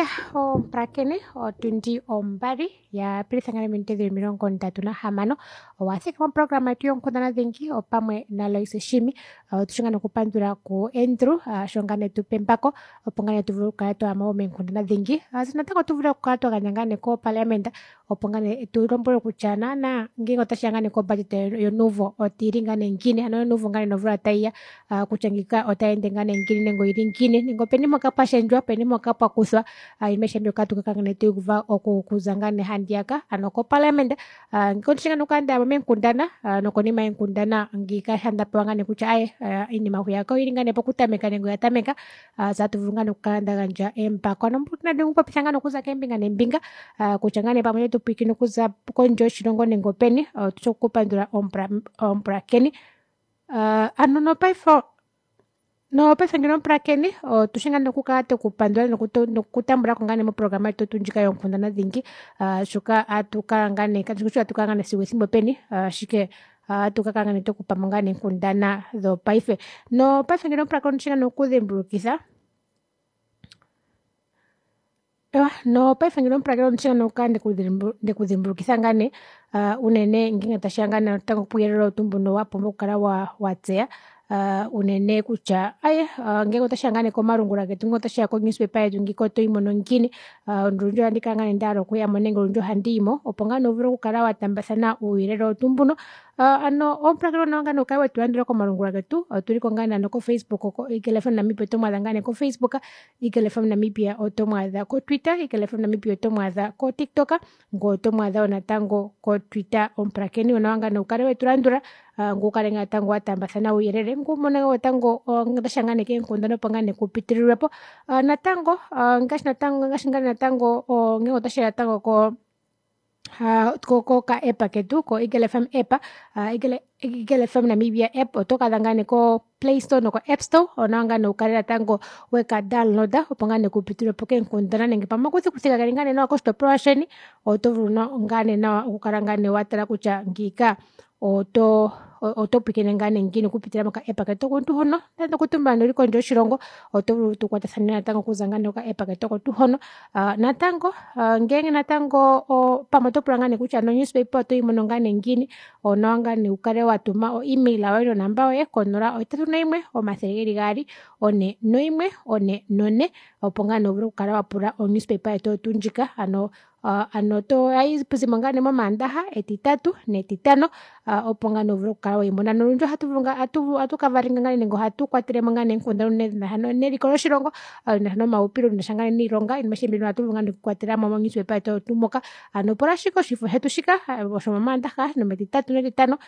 Ya omupulakeni otundi 2 ya pilitha ngane minute dhili 36 owa thika moprograma yetu yonkundana dhingi opamwe naLoise Shimi. Otushinga nokupandula ku Andrew sho ngane tupe mpako opo ngane tu vule okukala twayamo meenkundana dhingi. Natango tu vule okukala twa gandja ngane koparliament opo ngane tu lombwele kutya naana ngenge otashiya ngane ko budget yonuvo otili ngane ngini, ano yonuvo ngane nomvula tayiya kutya ngika otayi ende ngane ngini nenge oyili ngini nenge openi mpoka pwa shendjwa, openi mpoka pwa kuthwa iinima ayihe mbyoka atu ka ngane tuuva okuza ngane handiyaka ano koparliament. Ngika otushinga nokukala ndayamo meenkundana nokonima yeenkundana ngika sha ndapewa ngane kutya aye iinima hwiyaka oyili ngane pokutameka nenge oya tameka tse atu vulu ngane okukala nda gandja empako. Ano nandi popitha ngane okuza keembinga neembinga kutya ngane pamwe otetu pwiikine okuza kondje yoshilongo nenge openi otushi okupandula omupulakeni. Ano nopaife nopaife ngeno omupulakeni otushi ngaa nokukala twekupandula nokutambulako ngaa nee moprograma yetu tuu ndjika yoonkundana dhingi shoka atu kala ngaa nee katushi kutya atu kala ngaa nee sigo ethimbo peni ashike atu kakala ngaa nee twekupamo ngaa nee eenkundana dhopaife. Nopaife ngeno omupulakeni otushi ngaa nokudhimbulukitha nopaife ngeno omupulakeni otushi ngaa nokukala ndekudhimbulukitha ngaa nee unene ngenge tashiya ngaa natango puuyelele owo tuu mbuno wa pumbwa okukala watseya unene kutya aye ngenge otashiya ngaa nee komalungula getu ngenge otashiya ko newspaper yetu ngika otoyimono ngiini. Olundji ohandi kala ngaa nee ndahala okuyamo nenge olundji ohandiyimo opo ngaa nee uvule okukala wataambathana uuyelele owo tuu mbuno. Ano omupulakeni onawa ngaa nee ukale wetu landula komalungula getu otuliko ngaa nee ko facebook ko Eagle F_M Namibia otomwaadha ngaa nee ko facebook, Eagle F_M Namibia otomwaadha ko twitter, Eagle F_M Namibia otomwaadha ko tiktok ngoye otomwaadha wo natango ko twitter. Omupulakeni onawa ngaa nee ukale wetu landula ngweye ukale ngaa natango wataambathana uuyelele ngweye umone wo natango ngele otashiya ngaa nee keenkundana opo ngaa nee kupitililwepo. Natango ngaashi natango ngaashi ngaa natango ngenge otashiya natango ko koka app ketu ko Eagle F_M app, Eagle F_M Namibia app oto kaadha ngaa nee ko play store noko app store onawa ngaa nee ukale natango weka download opo ngaa nee kupitililwepo keenkundana nenge pamwe omakuthikuthi kageli ngaa nee nawa koshitopolwa sheni oto vulu ngaa nee nawa okukala ngaa nee watala kutya ngiika oto pwiikine ngaa nee ngiini okupitila moka app ketu oko tuu hono. Nande okutumbula nande ouli kondje yoshilongo oto vulu tukwatathane natango okuza ngaa nee koka app ketu oko tuu hono. Natango ngenge natango pamwe oto pula ngaa nee kutya no newspaper otoyimono ngaa nee ngiini, onawa ngaa nee ukale watuma o email yoye nonamba yoye ko 081 200 41 44 opo ngaa nee uvule okukala wapula o newspaper yetu oyo tuu ndjika ano ohayizimo ngaa nee momaandaha, etitatu netitano opo ngaa nee uvule okukala weyimona. Nolundji ohatu kavalinga ngaa nee nenge ohatu kwatelemo ngaa nee eenkundana unene dhinasha neliko loshilongo, shinasha nomaxupilo shinasha ngaa nee niilonga iinima ayihe mbino ohatu vulu ngaa nee okuyikwatelamo mo newspaper yetu oyo tuu moka. Ano pula ashike oshifo shetu shika shomomaandaha nometitatu netitano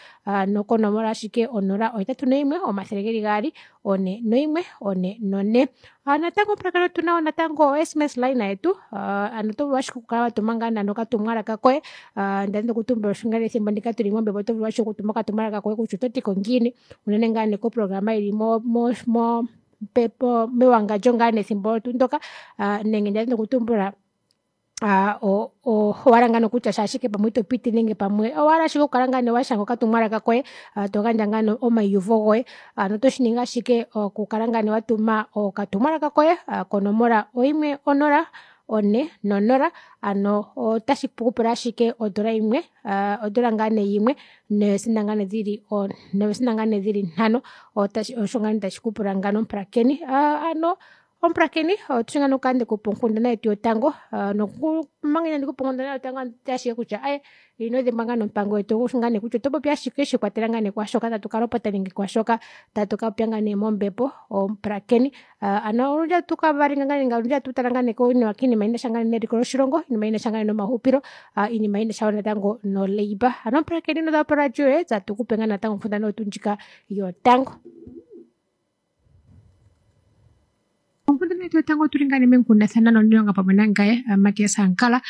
konomola ashike 081 200 41 44. Natango omupulakeni otuna wo natango o sms line yetu ano oto vulu ashike okukala watuma ngaa nande okatumwalaka koye ndadhini okutumbula ngaashi ethimbo ndika tuli mombepo oto vulu ashike okutuma okatumwalaka koye kutya ototiko ngiini unene ngaa nee koprograma yili mewangandjo ngaa nee ethimbo olo tuu ndoka nenge ndadhini okutumbula owahala ngaa nee okutya sha ashike pamwe ito piti nenge pamwe owahala ashike okukala ngaa nee washanga okatumwalaka koye togandja ngaa nee omaiyuvo goye ano otoshiningi ashike okukala ngaa nee watuma okatumwalaka koye konomola 1 0 4 0 ano otashi kupula ashike odola yimwe odola ngaa nee yimwe neesenda ngaa nee dhili 5 osho ngaa nee tashi kupula ngano omupulakeni. Ano omupulakeni otushi ngaa nokukala ndekupa onkundana yetu yotango omanga inandikupa onkundana yotango anditi ashike kutya aye ino dhimbwa ngaa nompango yetu ngaa nee kutya oto popi ashike shiikwatelela ngaa nee kwaashoka tatu kalopota nenge kwaashoka tatu kapopya ngaa nee mombepo omupulakeni. Ano olundji ohatu kavalinga nenge olundji ohatu tala ngaa nee kiinima yinasha ngaa nee neliko loshilongo, iinima yinasha ngaa nee nomaxupilo, iinima yinasha wo natango no labour. Ano omupulakeni ino poradio yoye tse atukupe ngaa natango onkundana oyo tuu ndjika yotango. Onkundana yetu yotango otuli ngaa nee meenkundathana nomuniilonga pamwe nangaye Matias Ankala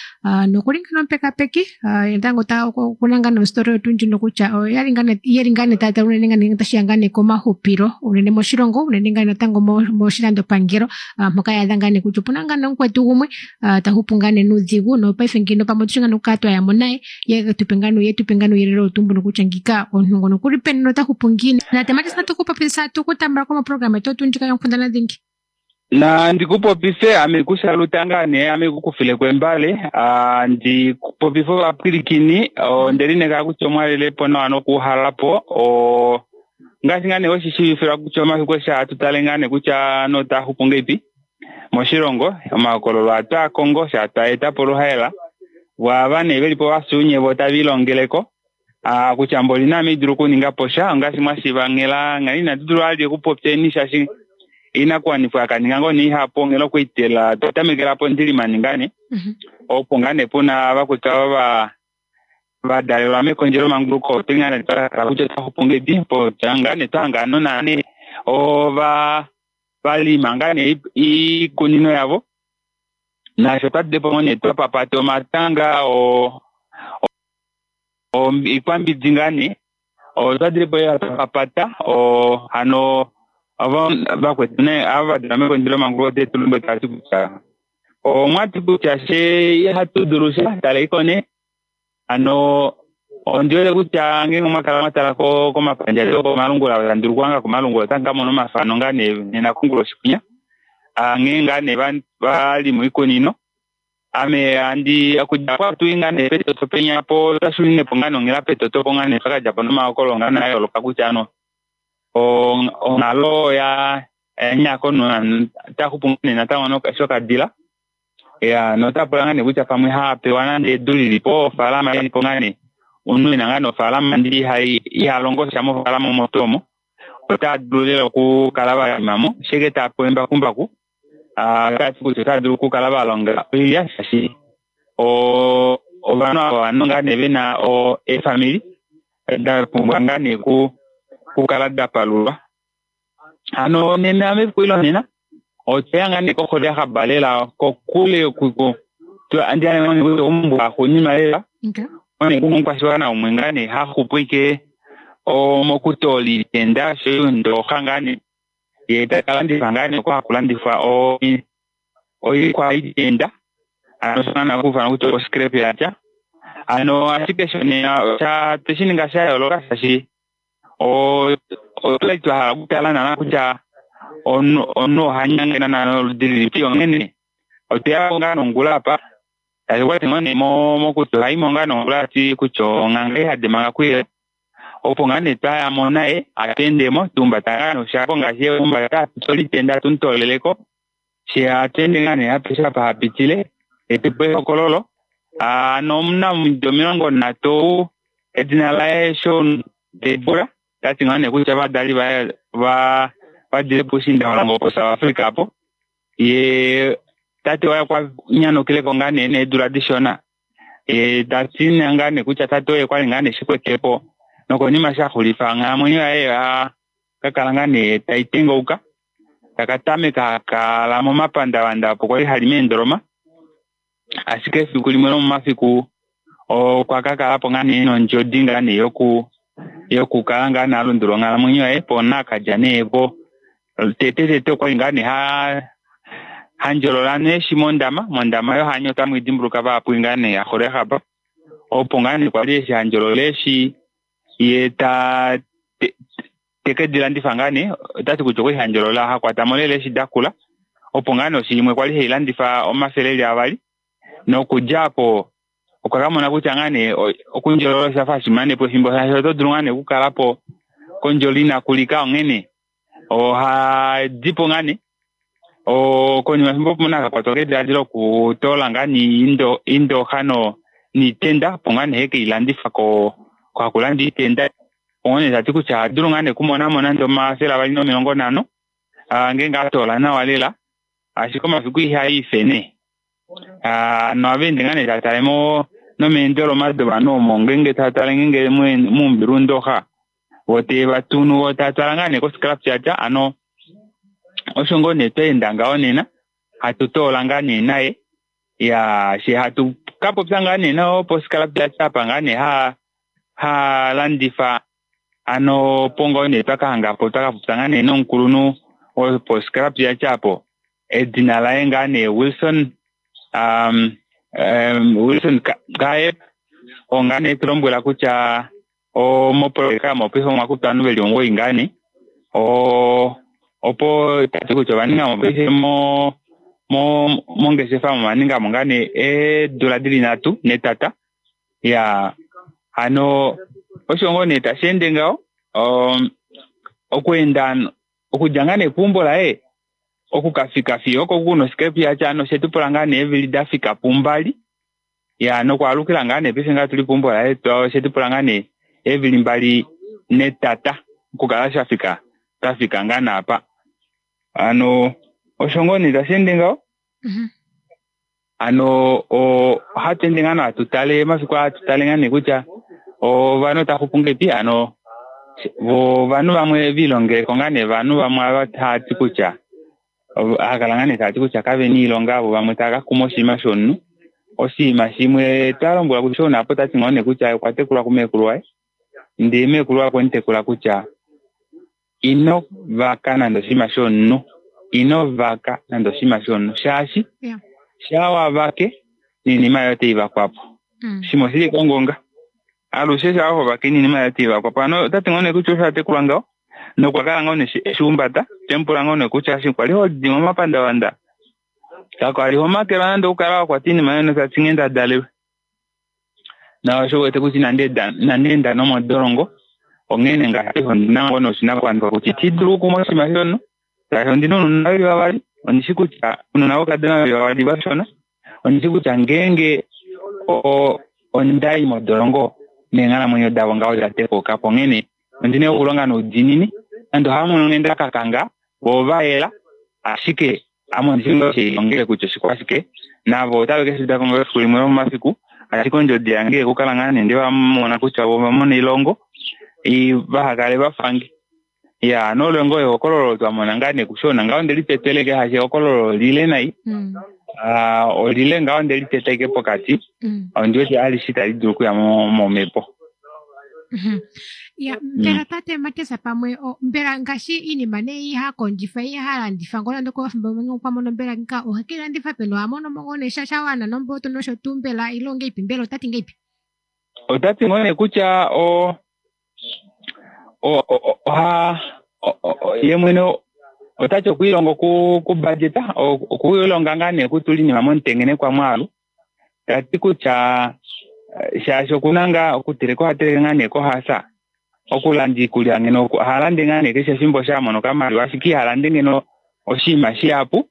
nokuli ngaa nomupekapeki natango okuna ngaa nostory yetu ndjino kutya oyeli ngaa nee taya tala unene ngaa nee tashiya ngaa nee komaxupilo unene moshilongo unene ngaa natango moshilandopangelo mpoka yaadha ngaa nee kutya opuna ngaa nee omukwetu gumwe tahupu ngaa nee nuudhigu nopaife ngino pamwe otushi ngaa nee okukala twayamo naye ye tupe ngaa nee uuyelele owo tuu mbuno kutya ngika omuntu ngono okuli peni nota hupu ngiini. Tate Matias natu ku popitha tukutambulako moprograma yetu oyo tuu ndjika yonkundana dhingi. Na ndikupopife ame kushaluta ngaa nee ame kukufile embale ndikupopife ovapwilikini ondelinekela kutya omwalelepo nawa nokuuhalapo ngaashi ngaa nee weshishiivifilwa kutya omafiku eshi hatu tale ngaa nee kutya notaaxupu ngeipi moshilongo omahokololo ohatu a kongo sha twaeta poluhaela vo ava nee velipo vafyuunye vo tavilongeleko kutya mboli naame idulu okuninga po sha ongaashi mwashiiva nghela nghela inatu dulu vali okupopyeni shaashi inakuwanifwa yakaninga ngoo nee ihapu onghela okuitela twatamekela pondilimani ngaa nee opo ngaa nee puna vakwetu ava vadalelwa mekondjelo manguluko otuli ngaa nee twakala kutya otwaxupu ngeipi po ngaa nee twahangana naane ova valima ngaa nee iikunino yavo naasho twadilepo ngoo nee twapapata omatanga iikwambidi ngaa nee otwadilepo lela twapapata hano vakwetu nee ava vadalelwa mekondjelo manguluko otetu lombwele tavati kutya omwati kutya she ihatu dulu sha taleiko nee hano ondiwete kutya ngeenge omwakala mwatala komapandja etu okomalungula tandulu kuhanga komalungula otamu kamona omafano ngaa nee nena konguloshi kwinya nghee ngaa nee vali moikunino ame andi okudja apo atuyi ngaa nee petoto penya po twashuninepo ngaa nee onghela petoto po ngaa nee twakadjapo nomahokololo ngaa nee ayooloka kutya ano onghalo oya nyako taxupu ngaa nee natango shokadila ya notapula ngaa nee kutya pamwe hapewa nande edu lilipo ofaalama ilipo ngaa nee omunhu ena ngaa nee ofaalama ndi ihalongo sha mofaalama omo tuu omo otadulu lela okukala valimamo sheke tapewa embakumbaku otati kutya otadulu okukala valonga oilya shaashi ovanhu ava ovanhu ngaa nee vena eefamili dapumbwa ngaa nee kukala dapalulwa hano nena mefiku lonena otweya ngaa nee koxole yahaba lela kokule omumbwa axuuninwa lela one kuna omukwashiwana umwe ngaa nee haxupu ike mokutoola iitenda oshoyo ndooxa ngaa nee ye takalandifa ngaa nee oko hakulandifwa oikwa itenda ano shonana okufana kutya oscrap yatya hano ashike shonena tweshininga shayooloka shaashi otwali twahala okutala naana kutya omunhu ohanyange naana oludi lilipi onghene otweyapo ngaa nongula apa tashi kwati ngoo nee mokuti ohaimo ngaa nongula ati kutya onghanga ihade manga kuyele opo ngaa nee twayamo naye atweendemo tuhumbata ngaa nee oshako ngaashi ye humbata atutola itenda atumutooleleko she atweende ngaa nee apeshe apa hapitile etupe ehokololo ano omunamido 30 edina laye Sean Debora tati ngaa nee kutya ovadali vaye vadile puushiindalongo po South Africa apo ye tate waye okwa nyanukileko ngaa nee needula dishona ye tati ngaa nee kutya tate oye kwali ngaa nee shikwetepo nokonima shaxulifa onghalamwenyo yaye kakala ngaa nee tai tengauka takatameka hakala momapandavanda opo kwali hali meendoloma ashike efiku limwe lomomafiku okwa kakalapo ngaa nee nondjodi ngaa nee yokukala ngaa nee alundulula onghalamwenyo yaye po nakadja nee po tete tete okwali ngaa nee handjolola neeshi mondama mondama yohanya otamu idimbuluka vahapu ngaa nee yaxole yahapa opo ngaa nee kwali eshi handjolola eeshi ye ta teke dilandifa ngaa nee otati kutya okwali handjolola hakwatamo lela eeshi dakula opo ngaa nee oshi imwe kwali hailandifa 200 nokudja apo okwa kamona kutya ngaa nee okundjolola oshafa hashimanepo efimbo shaashi oto dulu ngaa nee okukalapo kondjolo inakulika onghene ohadipo ngaa nee konima efimbo opo nakakwatwa kediladilo okutoola ngaa nee indooxa niitenda opo ngaa nee hekeilandifa kohakulanda iitenda onghene tati kutya ohadulu ngaa nee okumonamo nande 250 ngeenge atoola nawa lela ashike omafiku ihaife nee nohaveende ngaa nee tatale nomeendoloma dovanhu omo ngeenge tatale ngeenge muumbilu ndooxa vo tevatunu vo tatwala ngaa nee koscrap yatya ano osho ngoo nee twaenda ngaho nena hatu toola ngaa nee naye ya she hatu kapopya ngaa nee nao poscrap yatya apa ngaa nee halandifa ano opo ngoo nee twakahangapo twakapopya ngaa nee nomukulunhu woposcrap yatya apo edina laye ngaa nee Wilson Wilson Gaeb oo ngaa nee tulombwela kutya mopoloyeka mopaife omwakutwa ovanhu veli 9 ngaa nee Opo tati kutya ovaninga mo paife mongeshefa ovaninga mo ngaa nee eedula dili 3 netata. Ya hano osho ngoo nee tashi ende ngaho okuenda okudja ngaa nee keumbo laye okukafika fiyo oko kuna osikepi yatya hano oshetu pula ngaa nee eevili dafika pu2. Ya nokwaalukila ngaa nee paife ngaa tuli peumbo laye oshetu pula ngaa nee eevili 2 netata okukala shafika tafika ngaa naapa. Hano osho ngoo nee tashi ende ngaho. Hano ohatu ende ngaa hatu tale mafiku hatu tale ngaa nee kutya ovanhu otaxupu ngeipi. Hano ovanhu vamwe vilongeleko ngaa nee vanhu vamwe ava tavati kutya hakala ngaa nee tavati kutya kavena oilonga vo vamwe tava kakuma oshinima shomunhu. Oshinima shimwe twalombwelwa kutya onapo tati ngoo nee kutya okwa tekulwa kumeekulu waye ndee meekulu waye okwemutekula kutya ino vaka nande oshinima shomunhu, ino vaka nande oshinima shomunhu shaashi shaa wavake noinima yoye otai vakwapo. Shimwe oshili kongonga alushe shaa hovake noinima yoye otai vakwapo. Hano otati ngoo nee kutya osho atekulwa ngaho nokwa kala ngoo nee eshihumbata. Temupula ngoo nee kutya eshi kwali hodi momapandavanda kakwali homakelwa nande okukala wakwata oinima yoye notati nghee ndadalelwe. Na osho wete kutya inandi enda nomodolongo onghene ngaashi ondina ngoo noshinakuwanifwa kutya iti dulu okukuma oshinima shomunhu shaashi ondina ounona veli 2. Ondishi kutya ounona voukadona veli 2 vashona. Ondishi kutya ngeenge ondai modolongo neenghalamwenyo davo ngaho oda tekaukapo. Onghene ondina okulonga noudiinini nande ohamono nghee ndakakanga vo ovayela ashike ame ondishi ngoo shilongele kutya oshikwashike navo otave keshiudako ngoo efiku limwe lomomafiku. Ashike ondjodi yange okukala ngaa nee ndevamona kutya vo ovamona elongo vahakale vafange. Ya nolo ngoo ehokololo twamona ngaa nee kushona ngaho ndeli teteleke hashi ehokololo lile nai. Olile ngaho ndeli teteke pokati. Ondiwete alishe itali dulu okuya momhepo. Ya mbela tate Mateus pamwe mbela ngaashi iinima nee ihakondjifa ihalandifa ngoo nande okafimbo okwa mono mbela nga ohekelandifa peni ohamono mo ngoo nee sha shawana nomboto nosho tuu mbela ile ongeipi mbela otati ngeipi? Otati ngoo nee kutya oha ye mwene otati okwiilonga okubudgeta okwiilonga ngaa nee kutula iinima momutengenekwa mwaalu. Tati kutya shaashi okuna ngaa okuteleka oha teleke ngaa nee kohasa okulanda iikulya ngeno ohalande ngaa nee keshe efimbo shamono okamaliwa ashike ihalande ngeno oshinima shihapu.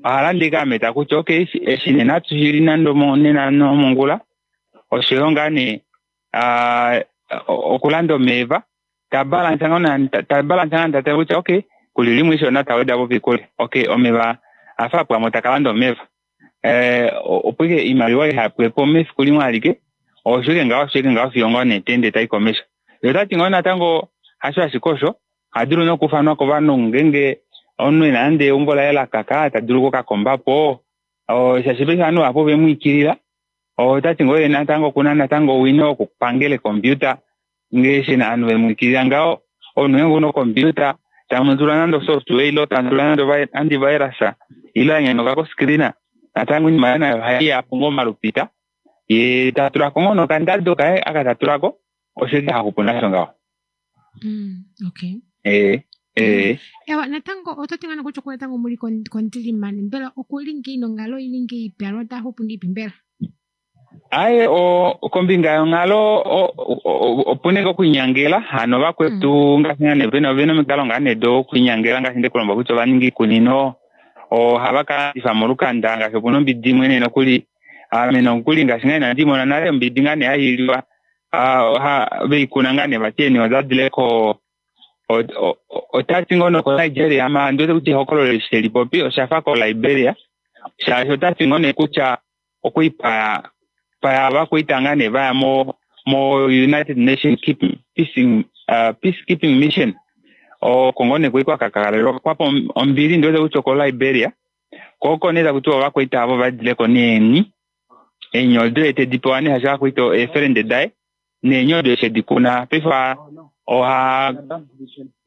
Ohalande ike ameta kutya okay eshi nena atushili nande nena nomongula oshoyo ngaa nee okulanda omeva tabalansa ngaa tatala kutya okay kuli limwe ishona taweda po piikulya okay omeva afa apwamo takalanda omeva opo ike iimaliwa ihapwepo mefiku limwe alike osho ike ngaho osho ike ngaho fiyo ngoo nee tende tai komesho. Ye otati ngoo natango hasho ashike osho ohadulu nokufanwa kovanhu ngeenge omunhu ena nande eumbo laye lakaka tadulu okukakombapo shaashi paife ovanhu vahapu ovemwiikilila. Otati ngoo ye natango okuna natango owino wokupangela ecomputer ngeeshi ovanhu vemwiikilila ngaho omunhu ngeenge una ocomputer tamutula nande software ile tamutula nande antivirus ile anyanoka koscreen natango oinima yaye nayo ohaiyapo ngoo omalupita ye tatulako ngoo nokandado kaye aka tatulako osho ike haxupu nasho ngaho. Okay. Ewa natango ototi ngoo kutya natango muli kondilimani mbela okuli ngei nonghalo ili ngeipi alo otaxupu ngeipi mbela? Aye kombinga yonghalo opuna ike okwiinyangela hano vakwetu ngaashi ngaa nee vena omikalo ngaa nee dokwiinyangela ngaashi ndekulomba kutya ovaninga iikunino ohava kalandifa molukanda ngaashi opuna ombidi imwe nee nokuli ame nokuli ngaashi ngaa inandi mona nale ombidi ngaa nee hailiwa veikuna ngaa nee vati eeni odadile ko otati ngoo noko Nigeria ma ndiwete kutya ehokololo eshi telipopi oshafa ko Liberia shaashi otati ngoo nee kutya okwii paya vakwaita ngaa nee vaya mo United Nations Peacekeeping Mission oko ngoo nee kwali kwakakalelwa kwapo ombili ndiwete kutya oko Liberia ko oko nee takutiwa ovakwaita avo vadileko neeni eeni odo tedi pewa nee shaashi ovakwaita eefelende daye neeni odo eshi edikuna paife oha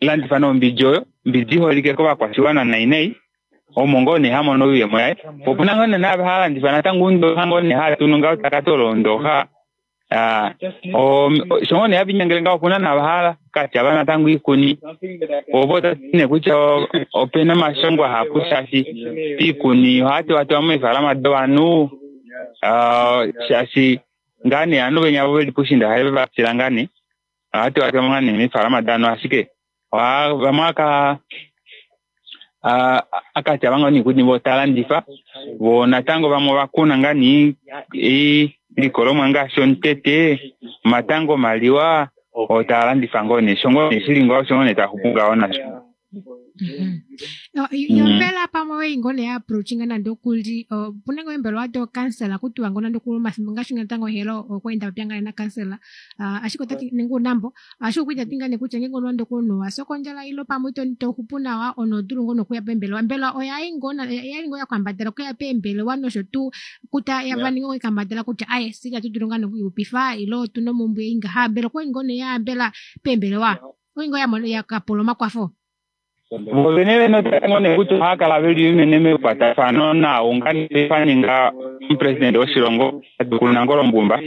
landifa nombidi oyo ombidi iholike kovakwashiwana nai nai omo ngoo nee hamono oiyemo yaye po opuna ngoo nee naava halandifa natango oundoxa ngoo nee hatunu ngaho takati olo oundoxa. Sho ngoo nee havinyangele ngaho opuna navahala katyava natango oikuni opo otati nee kutya opena omashongo ahapu shaashi oikuni ohatewatewa meefalama dovanhu shaashi ngaa nee ovanhu venya veli poushiinda ohave vatila ngaa nee ohatewatewa ngaa nee meefalama dovanhu ashike vamwe akatyava ngoo nee voo talandifa voo natango vamwe ovakuna ngaa nee iilikolomwa ngaashi omutete omatango omaliwa oo taalandifa ngoo nee sho ngoo nee shili ngaho osho ngoo nee taaxupu ngaho nasho. Yo mbela pamwe wei ngoo nee approachinga nande okuli opuna ngoo eembelewa dookansela kutiwa ngoo nande okuli omafimbo ngaashi natango onghelo okweenda popya ngaa nakansela ashike otati nenge unambo ashike okwali tati ngaa nee kutya ngeenge nande okuli omunhu owafya kondjala ile pamwe itoxupu nawa omunhu ohodulu ngoo nokuya peembelewa mbela oyali ngoo yakambadala okuya peembelewa nosho tuu kutya vaninga eekambadala kutya aaye fyee itatu dulu ngoo nee okwiixupifa ile otuna omumbwe ei ngaha mbela okwali ngoo nee yaya peembelewa okwali ngoo yakapula omakwafo. Vovene vene otava nee kutya ohava kala veli unene mekwatafano naau ngaa ninga omupresidente woshilongo tatekulu Nangolo Mbumba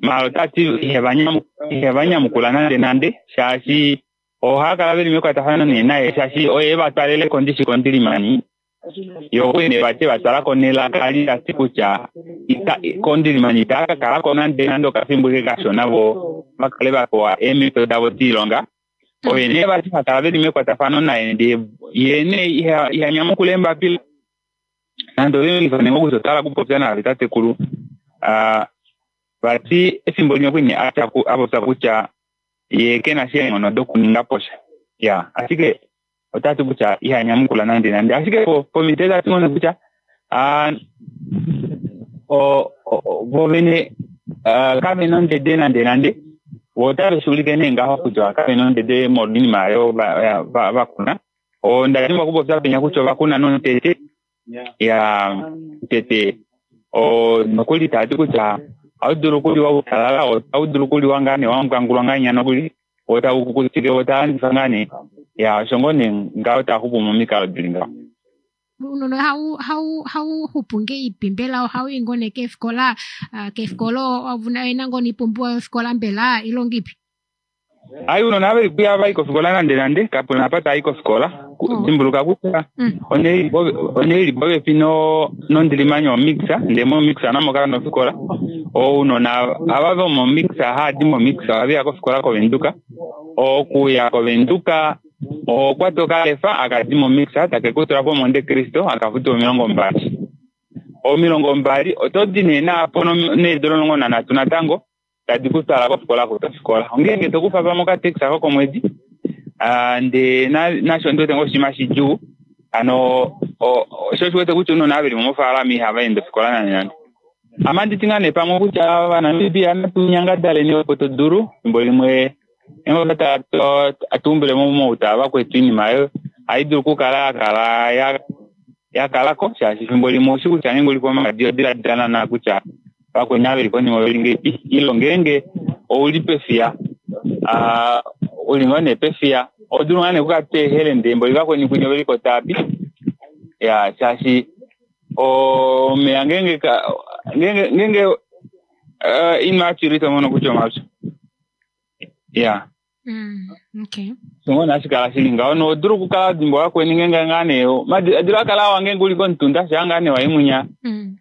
maala otati iheva nyamukula nande nande shaashi ohava kala veli mekwatafano nee naye shaashi oye evatwalele kondishi kondilimani ye okwali nee vati evatwalako nelaka li tati kutya kondilimani itava kakalako nande nande okafimbo eke kashona vo vakale vapewa eemhito davo doilonga. Oye nee vati hakala veli mekwatafano naye ndee yee nee ihanyamukula eembapila nande ovelongifa nee kutya otwahala okupopya naave tatekulu vati efimbo limwe okwali nee apopya kutya yee kena sha eenghono dokuninga posha ya ashike otati kutya ihanyamukula nande nande ashike pomhito tati ngoo kutya vovene kavena ondede nande nande vo otave shuulike nee ngaho kutya kavena ondede molwoinima oyo vakuna. Onda dimbwa okupopya penya kutya ovakuna nomutete ya omutete nokuli tavati kutya ohaudulu okuliwa utalala ohaudulu okuliwa ngaa nee wambwangulwa ngahenya nokuli woo taukukutike woo talandifa ngaa nee ya osho ngoo nee ngaho taaxupu momikalo dili ngaho. Ounona hauxupu ngeipi mbela ohauyi ngoo nee keefikola keefikola ovena ngoo noipumbiwa yofikola mbela ile ongeipi? Ai ounona aveli kuya vai kofikola nande nande kapuna apa tai kofikola dimbuluka kutya onhele ili popepi nondilimani omix ndee momix namo kamuna ofikola. Ounona ava vomomix haadi momix ohaveya kofikola kovenduka. Okuya kovenduka ohokwata okalefa akadi momix takekutula pomonte cristo akafutu 20. 20 otodi nee naapo needula 13 natango tadi kutwala kofikola oku tofikola. Ongeenge tokufa pamwe okatekisa kokomwedi ndee nasho ondiwete ngoo oshinima shidjuu hano sho oshiwete kutya ounona ava veli mofaalama ihava ende ofikola nande nande. Ame anditi ngaa nee pamwe kutya ovanamibia natu nyangadaleni opo todulu efimbo limwe atuumbile mouta vakwetu oinima oyo ohaidulu okukala yakala yakalako shaashi efimbo limwe oushi kutya ngeenge uli pomaadi odiladila naana kutya vakweni ava veli konima oveli ngeipi ile ngeenge ouli pefiya uli ngoo nee pefiya ohodulu ngaa nee okukala toehele ndee mboli vakweni kwinya oveliko taapi ya shaashi omeya ngeenge ngeenge oinima yapyula itomono kutya omapyu ya okay. Osho ngoo hashi kala shili ngaho nohodulu okukala wadimbwa vakweni ngeenge ngaa nee omadiladilo ohaakala awa ngeenge uli komutunda shaa ngaa nee wayi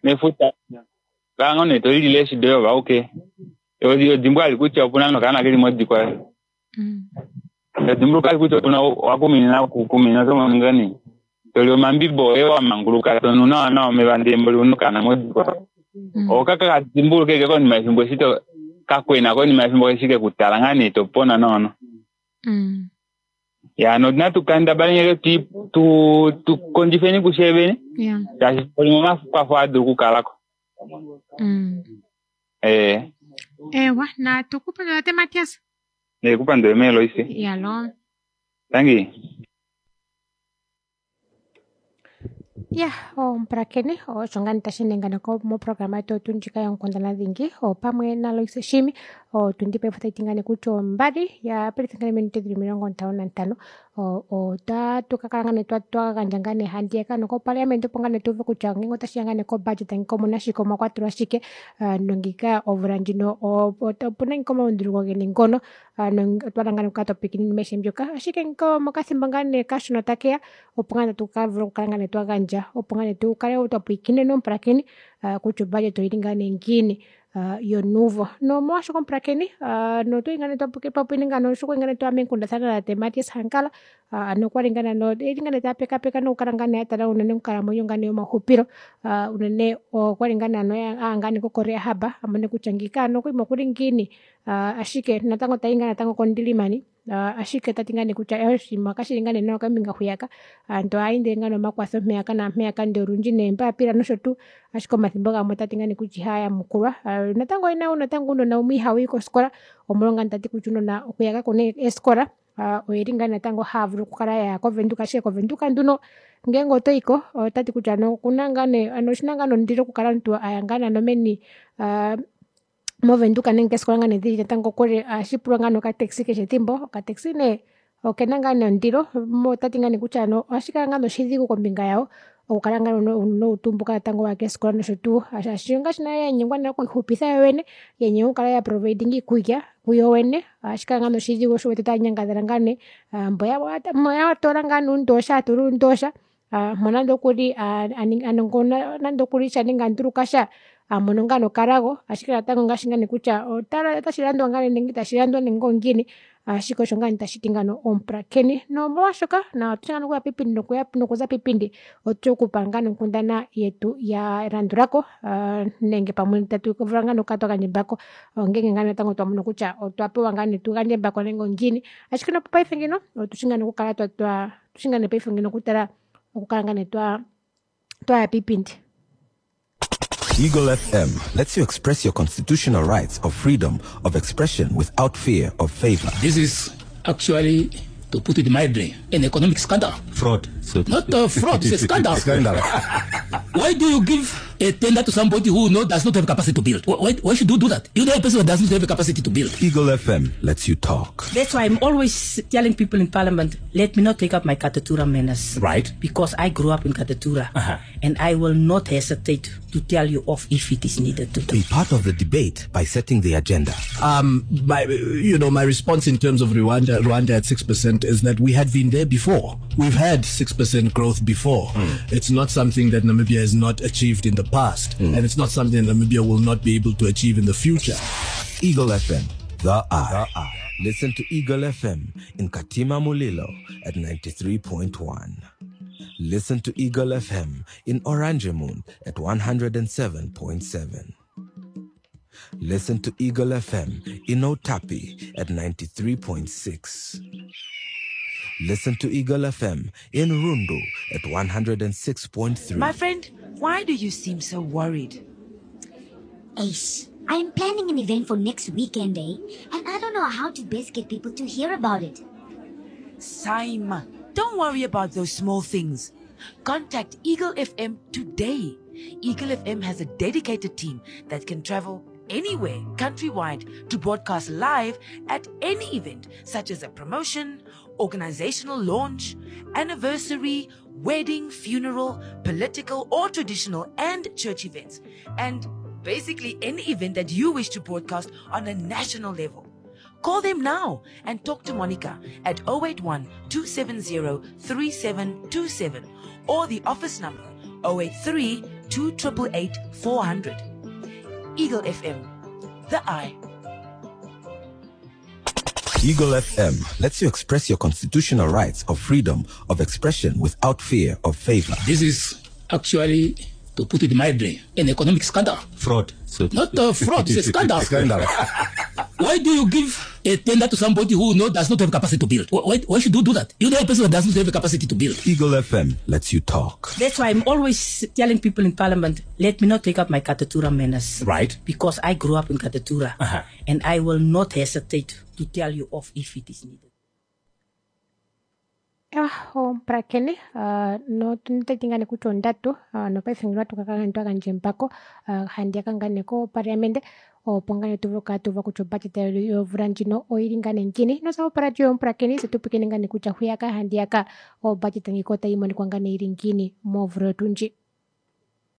mefuta kala ngoo nee tolilile eeshi doye ove auke odimbwa ali kutya opuna nokaana keli modikwa odimbuluka ali kutya opuna wakuminina kukumina otomono ngaa nee toli omambibo oye wamanguluka tonu nawa nawa omeva ndee mboli una okaana modikwa okaka kadimbuluke eke konima yefimbo eshi kakwena konima yefimbo eshi kekutala ngaa nee topona nawa nawa. Ya natu kendabaleni tukondjifeni kushe vene shaashi limwe omakwafo ohaadulu okukalako. Ewa natukupandula tate Matias. Nekupandule mee Loise. Yalo. Tangi. Ya omupulakeni osho ngaa tashi nengana moprograma yetu otu ndjika yonkundana dhingi opamwe naLoise Shimi otundi paife otayi ti ngaa nee kutya ombali ya pelithangane minute dhili 55. Otatu kakala ngoo nee twagandja ngaane handiyaka noko parliament opo ngoo nee tuuve kutya ngenge otashiya ngoo nee ko budget omuna shike omwakwatelwa shike nongika odula ndjino opena ashike omalunduluko geni ngono otwahala ngoo nee okukala twapwilikina oinima aishe mbyoka ashike mokafimbo ngoo nee kashona takeya opo ngoo nee hatu kavula okukala twagandja opo ngoo nee tukale twapwilikineni omupulakeni kutya o budget oili ngoo nee ngiini yonuuvo nomolwaasho omupulakeni notwali ngoo nee eshi kwali ngoo nee twaya meenghundafana na tate Matias Hankala nokwali ngoo nee eli ngoo nee tapekaapeka nokukala ngoo nee atala unene onghalamwenyo yomaxupilo unene okwali ngoo nee aya ko koreahab amone kutya ngiika hano koima okuli ngiini ashike natango tayi ngaa natango kondilimani ashike otati ngoo nee kutya oshinima kashili ngoo nee nawa kombinga hwiyaka ovanhu ohaindile ngoo nee omakwafo mheyaka naampeyaka ndee olundji neembapila noshotuu ashike omafimbo gamwe otati ngoo nee kutya ihaayamukulwa natango oyena ounona umwe ihawuyi kofikola omolwo ngoo nee tati kutya ounona hwiya kakuna eefikola oveli ngoo natango haavulu okukala yaya ko venduka ashike ko venduka nduno ngeenge otoyiko otati kutya okuna ngoo nee oshina ngoo nee ondilo okukala omunhu aya ngoo nee meni movenduka nenge keefikola ngoo nee dili natango kokule ohashipulwa ngoo nee oka taxi keshe efimbo oka taxi nee okena ngoo nee ondilo otati ngoo nee kutya ohashikala ngoo nee oshidhigu kombinga yawo okukala ngoo nee ounona ovo tuu mboka vaya keefikola noshotuu shaashi ongaashi nale yanyengwa okwiixupifa yoovene yanyengwa okukala ya providinga oikulya kuyo vene ohashikala ngoo nee oshidhigu shoo osho uwete otavanyangadala ngoo nee mbo atoola ngoo nee oundosha atula uundosha moo nande okuli nande okuli nenge andulukasha hamono ngoo nee okalago ashike natango ongaashi ngoo nee kutya otashi landwa ngoo nenge ita shilandwa nenge ongiini ashike osho ngoo nee tashiti ngano omupulakeni nomolwaashoka otushi ngoo nee okuya poipindi nokuza poipindi otushi okukupa ngoo nee onghundana yetu yalandulako nenge pamwe tatu vulu ngoo nee okukala twagandja embako ongenge ngoo nee natango twamono kutya otwa pewa ngoo nee tugandje embako nenge ongiini ashike nopaife ngino otushi ngoo nee okukala twaa otushi ngoo nee paife ngino okutala okukala ngoo nee twaya poipindi Eagle FM lets you express your constitutional rights of freedom of expression without fear of favor. This is actually, to put it mildly, an economic scandal. Fraud. So to Not a fraud, it's a scandal. Scandal. Why do you give a tender to somebody who does not have capacity to build? Why should you do that? You know a person who does not have capacity to build. Eagle FM lets you talk. That's why I'm always telling people in Parliament, let me not take up my Katutura manners. Right. Because I grew up in Katutura. And I will not hesitate to tell you off if it is needed to. Be part of the debate by setting the agenda. My response in terms of Rwanda at 6% is that we had been there before. We've had 6% growth before. It's not something that Namibia has not achieved in the past, and it's not something that Namibia will not be able to achieve in the future. Eagle FM, the eye. Listen to Eagle FM in Katima Mulilo at 93.1. Listen to Eagle FM in Oranjemund at 107.7. Listen to Eagle FM in Outapi at 93.6. Listen to Eagle FM in Rundu at 106.3. My friend, why do you seem so worried? Ace, I'm planning an event for next weekend, And I don't know how to best get people to hear about it. Saima, don't worry about those small things. Contact Eagle FM today. Eagle FM has a dedicated team that can travel anywhere countrywide to broadcast live at any event, such as a promotion, organizational launch, anniversary, wedding, funeral, political or traditional and church events, and basically any event that you wish to broadcast on a national level. Call them now and talk to Monica at 081-270-3727 or the office number 083-2888-400. Eagle FM, the eye. Eagle FM lets you express your constitutional rights of freedom of expression without fear of favor. This is actually, to put it mildly, an economic scandal. Fraud. So to Not a fraud, it's a scandal. Scandal. Why do you give a tender to somebody who does not have capacity to build? Why should you do that? You know a person who does not have the capacity to build. Eagle FM lets you talk. That's why I'm always telling people in Parliament, let me not take up my Katutura manners. Right. Because I grew up in Katutura. And I will not hesitate to tell you off if it is needed. Ah, omupulakeni notati ngaa nee kutya ondatu nopaife ngeno ohatu kakala nee twagandja embako handiyaka ngaa nee kopaliamente opo ngaa nee tuvule okukala tuuva kutya o budget yovula ndjino oili ngaa nee ngiini. Inozapo poradio yoye mupulakeni tse tupwiikine ngaa nee kutya hwiyaka handiyaka o budget ngika otayimonika ngaa nee ili ngiini movula oyo tuu ndji.